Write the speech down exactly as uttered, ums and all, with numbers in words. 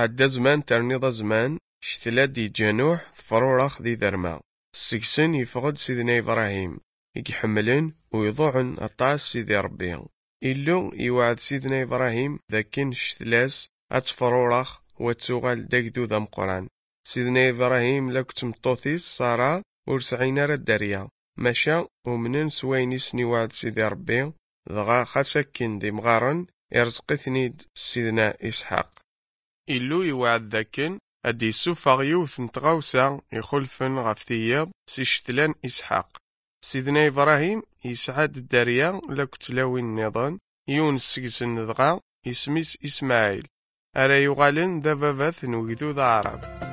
Ɛedda zman terniḍ azman, ccetla d-yeǧǧa Nuḥ tefrurax di derma. Seg-sen yeffeɣ-d Sidna Ibrahim, i iḥemmlen u iḍuɛen aṭas Sidi Ṛebbi. Illu iwɛed Sidna Ibrahim d akken ccetla-s ad tefrurax u ad tuɣal d agdud ameqqran. Sidna Ibrahim la tmeṭṭut-is Ṣara ur sɛin ara dderya, maca umnen s wayen i sen-iwɛed Sidi Ṛebbi, dɣa xas akken d imɣaren, irẓeq-iten-id Sidna Isḥaq. Illu iwɛed dakken ad d-yessufeɣ yiwet n tɣawsa ixulfen ɣef tiyiḍ si ccetla n Isḥaq. Sidna Ibrahim yesɛa-d dderya la tlawin nniḍen, yiwen seg-sen dɣa isem-is Ismaɛil, ara yuɣalen d ababat n ugdud aɛrab.